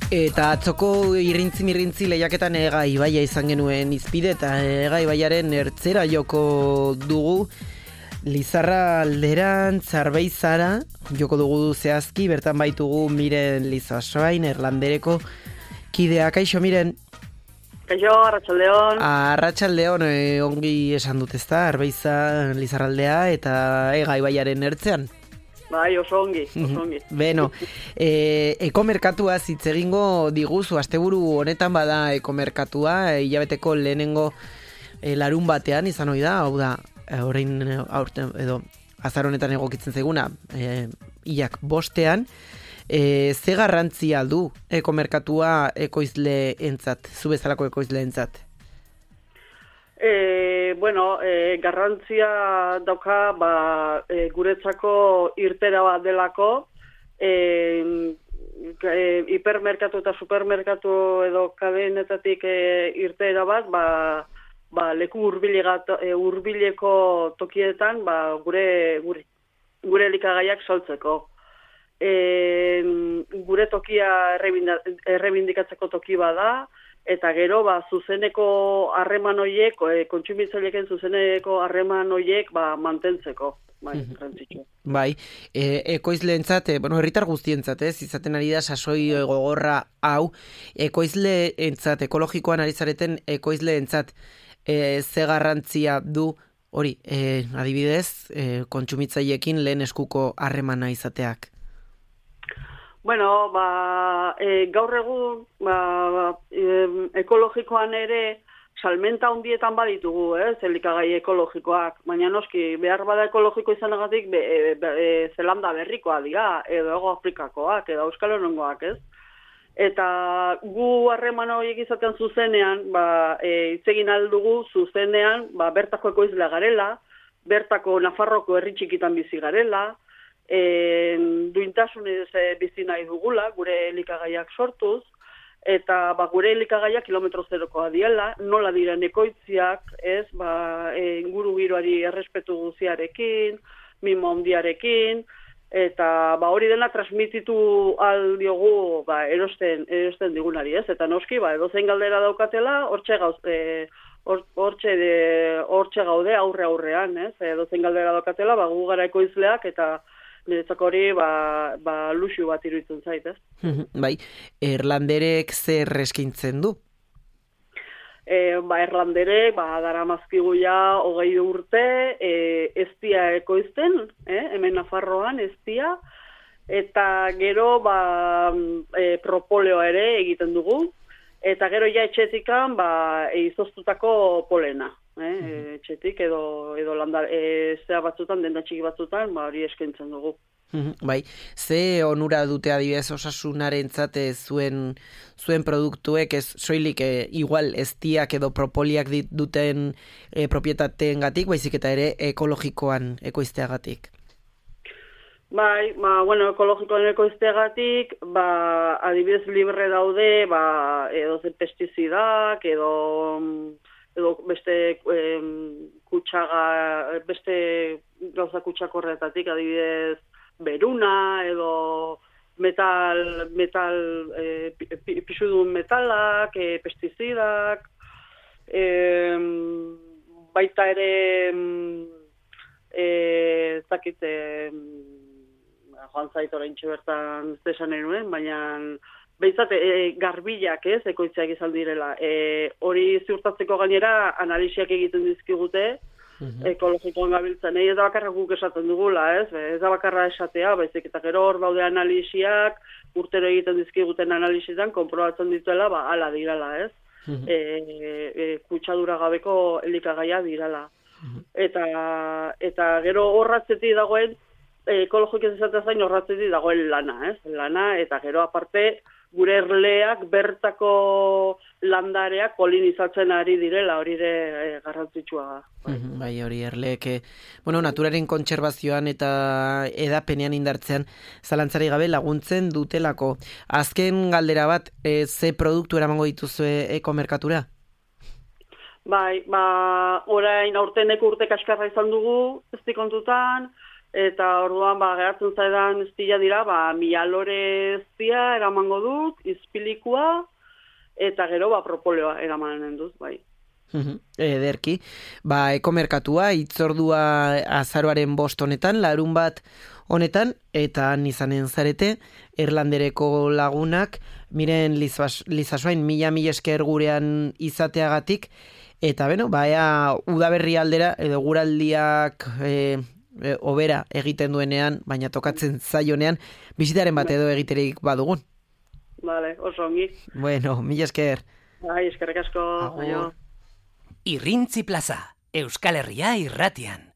Eta atzoko irrintzi lehiaketan Ega Ibaia izan genuen izpide eta Ega Ibaiaren ertzera joko dugu. Lizarra alderan, Zarbeizara joko dugu zehazki, bertan baitugu Miren Lizasoain, Erlandereko kideak. Kaixo, Miren? Kaixo, Arratsaldeon. Arratsaldeon, ongi esan dut ezta, Arbeiza, Lizarraldea eta Ega Ibaiaren ertzean. Bai, oso ongi. Beno, ekomerkatua hitz egingo diguzu, asteburu honetan bada ekomerkatua, hilabeteko lehenengo larun batean izan ohi da, hau da, orain aurten edo azar honetan egokitzen zaiguna, hilak bostean, ze garrantzia du ekomerkatua ekoizleentzat, zu bezalako ekoizleentzat? Garrantzia dauka guretzako irtera bat delako, hipermerkatu eta supermerkatu edo kadenetatik irtera bat, leku hurbileko tokietan gure elikagaiak saltzeko. Gure tokia errebindikatzeko toki bada, eta gero zuzeneko harreman horiek, kontsumitzaileekin zuzeneko harreman horiek mantentzeko. Garrantzitsu. Bai, ekoizleentzat, herritar guztientzat, izaten ari da sasoi gogorra hau, ekoizleentzat, ekologikoan ari zareten ekoizleentzat, ze garrantzia du hori, adibidez, kontsumitzaileekin lehen eskuko harremana izateak? Gaur egun ekologikoan ere salmenta handietan baditugu, elikagai ekologikoak, baina noski behar bada ekologiko izanagatik Zelanda berrikoa dira, edo Hego Afrikakoak, edo Euskal Herrikoak, ez? Eta gu harreman horiek izaten zuzenean, hitz egin aldugu zuzenean, bertako ekoizlea garela, bertako Nafarroko herri txikitan bizi garela, duintasunez bizi nahi dugula, gure elikagaiak sortuz, eta gure elikagaiak kilometro zerokoa diela, nola diren ekoitziak, inguru giroari errespetu guziarekin, mimo handiarekin, eta hori dena transmititu aldiogu erosten digunari, ez? Eta noski, edozein galdera daukatela, hortxe gaude aurrean, ez? Edozein galdera daukatela, gu gara ekoizleak, eta niretzako hori luxu bat iruditzen zait, ez? Bai, Erlanderek zer eskaintzen du? Erlanderek daramazkigu ja 20 urte eztia ekoizten, hemen Nafarroan eztia, eta gero propoleoa ere egiten dugu, eta gero ja etxetikan izoztutako polena. Etxetik edo zea batzutan, denda txiki batzutan, hori eskaintzen dugu. Bai, ze onura dute adibidez osasunarentzat zuen produktuek, ez soilik igual eztiak edo propoliak duten propietateengatik, baizik eta ere ekologikoan ekoizteagatik? Bai, ekologikoan ekoizteagatik, adibidez libre daude, edo zen pestizidak, edo beste beste gauza kutsakorretatik, adibidez beruna, edo pisudun metalak, pestizidak, baita ere joan zait oraintxe bertan zesan enuen, baina behintzat, garbilak ekoitziak izan direla. Hori ziurtatzeko gainera analisiak egiten dizkigute, ekologikoan gabiltzen. Ez da bakarra guk esaten dugula, ez da bakarra esatea, baizik eta gero hor daude analisiak, urtero egiten dizkiguten analisietan, konprobatzen dituela, hala dirala, ez? Kutsadura gabeko elikagaia dirala. Eta gero horratzetik dagoen, ekologik ez esatea zain horratzetik dagoen lana, ez? Lana, eta gero aparte, gure erleak bertako landareak polinizatzen ari direla, hori ere garrantzitsua. Bai, hori erleek, naturaren kontserbazioan eta edapenean indartzean zalantzari gabe laguntzen dutelako. Azken galdera bat, ze produktu eramango dituzue ekomerkatura? Bai, orain aurteneko urte kaskarra izan dugu, ez dikontutan, Eta orduan, geratzen zaidan estila dira, 1000 lore eztia eramango dut, izpilikua, eta gero, propoleoa eramanen dut, bai. Ederki, ekomerkatua, itzordua azaroaren 5 honetan, larun bat honetan, eta han izanen zarete, Erlandereko lagunak, miren Lizasoain, mila esker gurean izateagatik, eta udaberri aldera, edo guraldiak obera egiten duenean, baina tokatzen zaionean, bizitaren bat edo egiterik badugun. Vale, oso ongi. Bueno, mila esker. Bai, eskerrik asko. Irrintzi Plaza, Euskal Herria irratian.